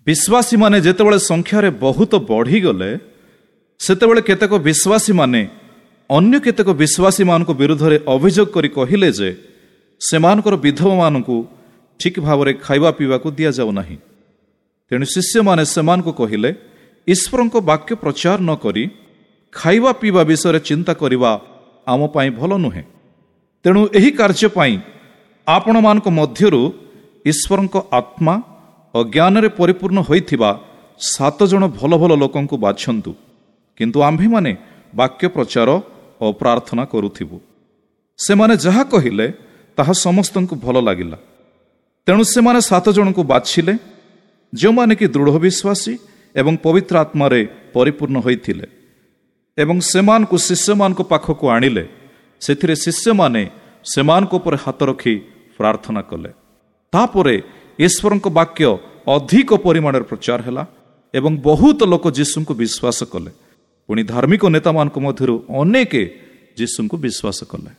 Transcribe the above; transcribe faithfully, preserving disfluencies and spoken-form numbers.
ବିଶ୍ୱାସୀମାନେ ଯେତେବେଳେ ସଂଖ୍ୟାରେ ବହୁତ ବଢ଼ିଗଲେ, ସେତେବେଳେ କେତେକ ବିଶ୍ୱାସୀମାନେ ଅନ୍ୟ କେତେକ ବିଶ୍ୱାସୀମାନଙ୍କ ବିରୁଦ୍ଧରେ ଅଭିଯୋଗ କରି କହିଲେ ଯେ ସେମାନଙ୍କର ବିଧବାମାନଙ୍କୁ ଠିକ୍ ଭାବରେ ଖାଇବା ପିଇବାକୁ ଦିଆଯାଉ ନାହିଁ। ତେଣୁ ଶିଷ୍ୟମାନେ ସେମାନଙ୍କୁ କହିଲେ, ଈଶ୍ୱରଙ୍କ ବାକ୍ୟ ପ୍ରଚାର ନ କରି ଖାଇବା ପିଇବା ବିଷୟରେ ଚିନ୍ତା କରିବା ଆମ ପାଇଁ ଭଲ ନୁହେଁ। ତେଣୁ ଏହି କାର୍ଯ୍ୟ ପାଇଁ ଆପଣମାନଙ୍କ ମଧ୍ୟରୁ ଈଶ୍ୱରଙ୍କ ଆତ୍ମା ଓ ଜ୍ଞାନରେ ପରିପୂର୍ଣ୍ଣ ହୋଇଥିବା ସାତ ଜଣ ଭଲ ଭଲ ଲୋକଙ୍କୁ ବାଛନ୍ତୁ, କିନ୍ତୁ ଆମ୍ଭେମାନେ ବାକ୍ୟ ପ୍ରଚାର ଓ ପ୍ରାର୍ଥନା କରୁଥିବୁ। ସେମାନେ ଯାହା କହିଲେ ତାହା ସମସ୍ତଙ୍କୁ ଭଲ ଲାଗିଲା। ତେଣୁ ସେମାନେ ସାତ ଜଣଙ୍କୁ ବାଛିଲେ, ଯେଉଁମାନେ କି ଦୃଢ଼ ବିଶ୍ୱାସୀ ଏବଂ ପବିତ୍ର ଆତ୍ମାରେ ପରିପୂର୍ଣ୍ଣ ହୋଇଥିଲେ, ଏବଂ ସେମାନଙ୍କୁ ଶିଷ୍ୟମାନଙ୍କ ପାଖକୁ ଆଣିଲେ। ସେଥିରେ ଶିଷ୍ୟମାନେ ସେମାନଙ୍କ ଉପରେ ହାତ ରଖି ପ୍ରାର୍ଥନା କଲେ। ତାପରେ ଈଶ୍ୱରଙ୍କ ବାକ୍ୟ ଅଧିକ ପରିମାଣରେ ପ୍ରଚାର ହେଲା ଏବଂ ବହୁତ ଲୋକ ଯୀଶୁଙ୍କୁ ବିଶ୍ୱାସ କଲେ। ପୁଣି ଧାର୍ମିକ ନେତାମାନଙ୍କ ମଧ୍ୟରୁ ଅନେକ ଯୀଶୁଙ୍କୁ ବିଶ୍ୱାସ କଲେ।